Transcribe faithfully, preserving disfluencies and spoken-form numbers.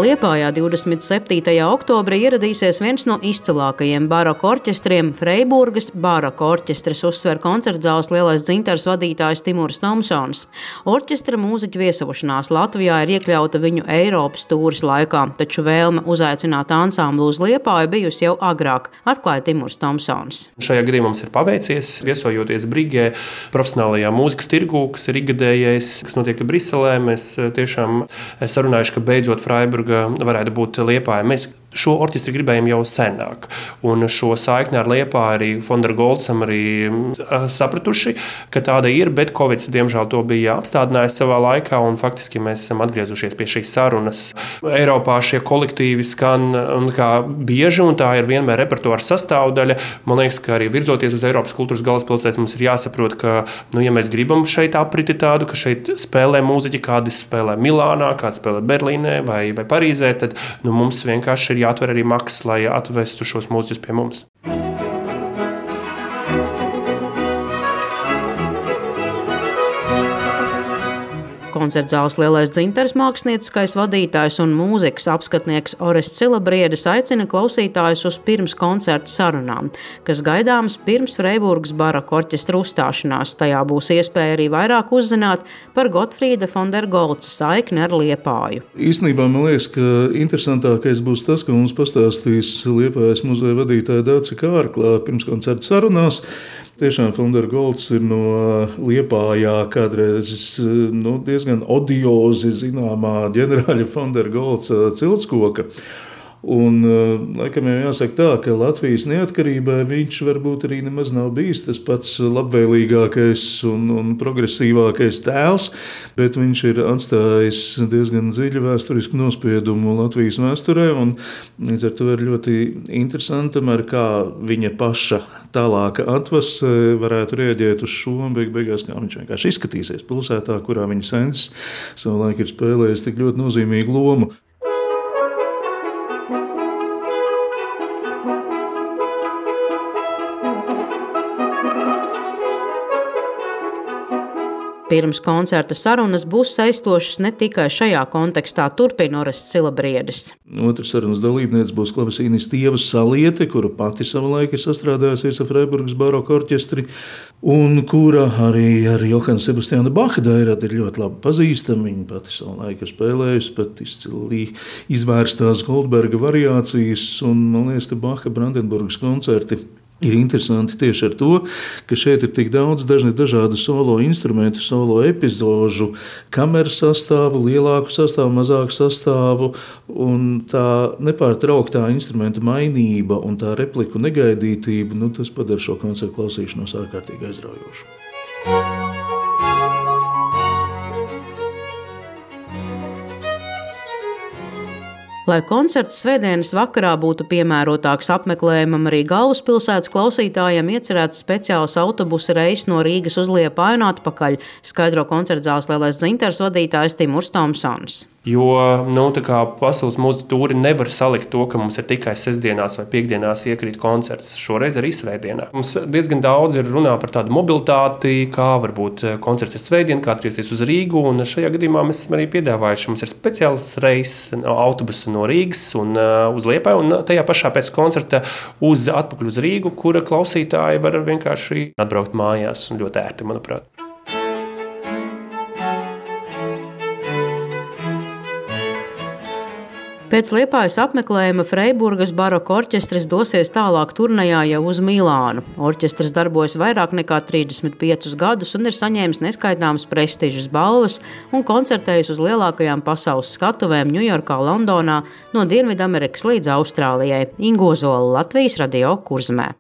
Liepājā divdesmit septītajā oktobrī ieradīsies viens no izcilākajiem baroka orķestriem – Freiburgas baroka orķestris, uzsver koncertzāles Lielais dzintars vadītājs Timurs Tomsons. Orķestra mūziķu viesošanās Latvijā ir iekļauta viņu Eiropas tūres laikā, taču vēlme uzaicināt ansamblu uz Liepāju bijusi jau agrāk, atklāja Timurs Tomsons. Šajā gadījumā mums ir paveicies, viesojoties Brigē, profesionālajā mūzikas tirgū, kas ir ikgadējais, kas notiek Briselē. Mēs tiešām sarunājuši, ka beidzot Freiburga varētu būt Liepāja. Mēs šo orķestri gribējām jau senāk, un šo saikni ar Liepāju arī Fonder Goldsam arī sapratuši, ka tāda ir, bet Covid, diemžēl, to bija apstādinājis savā laikā, un faktiski mēs esam atgriezušies pie šīs sarunas. Eiropā šie kolektīvi skan un kā bieži, un tā ir vienmēr repertuāra sastāvdaļa. Man liekas, ka arī virzoties uz Eiropas kultūras galvaspilsētas, mums ir jāsaprot, ka, nu, ja mēs gribam šeit apriti tādu, ka šeit spēlē mūziķi, kādi spēlē Milānā, kādi spēlē Berlīnē vai, vai Parīzē, tad nu, mums vienkārši ir jāatver arī maksas, lai atvestu šos mūziķus pie mums. Koncertzāles Lielais dzintars mākslinieckais vadītājs un mūzikas apskatnieks Orests Silabriedis aicina klausītājus uz pirms koncerta sarunām, kas gaidāmas pirms Freiburgas baroka orķestra uzstāšanās. Tajā būs iespēja arī vairāk uzzināt par Gotfrīda Fonder Goldsa saikni ar Liepāju. Īstenībā man liekas, ka interesantākais būs tas, ka mums pastāstīs Liepājas muzeja vadītāja Dace Kārklā pirms koncerta sarunās. Tiešām Fonder Golds ir no Liepājā kādreiz nu, diezgan odiozi zināmā ģenerāļa Fonder Goldsa Ciltskoka. Un, laikam jau jāsaka tā, ka Latvijas neatkarībai viņš varbūt arī nemaz nav bijis tas pats labvēlīgākais un, un progresīvākais tēls, bet viņš ir atstājis diezgan dziļu vēsturisku nospiedumu Latvijas vēsturē, un līdz ar to ir ļoti interesanti, ar kā viņa paša tālāka atvase varētu rēģēt uz šo, un beig beigās, kā viņš vienkārši izskatīsies pilsētā, kurā viņa sensis savulaik ir spēlējis tik ļoti nozīmīgu lomu. Pirms koncerta sarunas būs saistošas ne tikai šajā kontekstā, turpina Orests Silabriedis. Otrs sarunas dalībniece būs klavesīniste Ieva Saliete, kura pati savulaik ir sastrādājusies ar Freiburgas baroka orķestri, un kura arī ar Johana Sebastiāna Bacha dairādi ir ļoti labi pazīstama. Viņa pati savulaik ir spēlējusi pat izcili izvērstās Goldberga variācijas, un man liekas, ka Bacha Brandenburgas koncerti ir interesanti tieši ar to, ka šeit ir tik daudz dažni dažādu solo instrumentu, solo epizožu, kameras sastāvu, lielāku sastāvu, mazāku sastāvu, un tā nepārtrauktā instrumenta mainība un tā repliku negaidītība, nu, tas padara šo koncertu klausīšanos ārkārtīgi aizraujošu. Lai koncerts svētdienas vakarā būtu piemērotāks apmeklējumam arī galvaspilsētas klausītājiem, iecerēts speciāls autobusa reiss no Rīgas uz Liepāju un atpakaļ, skaidro koncertzāles Lielais dzintars vadītājs Timurs Tomsons. Jo nu, pasaules mūzikas tūri nevar salikt to, ka mums ir tikai sestdienās vai piekdienās iekrīt koncerts. Šoreiz arī svētdienā. Mums diezgan daudz ir runā par tādu mobilitāti, kā varbūt koncerts ir svētdien, kā atgriezties uz Rīgu. Un šajā gadījumā mēs esam arī piedāvājuši. Mums ir speciāls reiss autobusu no Rīgas un uh, uz Liepāju, un tajā pašā pēc koncerta uz atpakaļ uz Rīgu, kura klausītāji var vienkārši atbraukt mājās un ļoti ērti, manuprāt. Pēc Liepājas apmeklējuma Freiburgas baroka orķestris dosies tālāk turnejā jau uz Milānu. Orķestris darbojas vairāk nekā trīsdesmit piecus gadus un ir saņēmis neskaitāmas prestižas balvas un koncertējis uz lielākajām pasaules skatuvēm Ņujorkā, Londonā, no Dienvidamerikas līdz Austrālijai. Ingo Zola, Latvijas radio Kurzemē.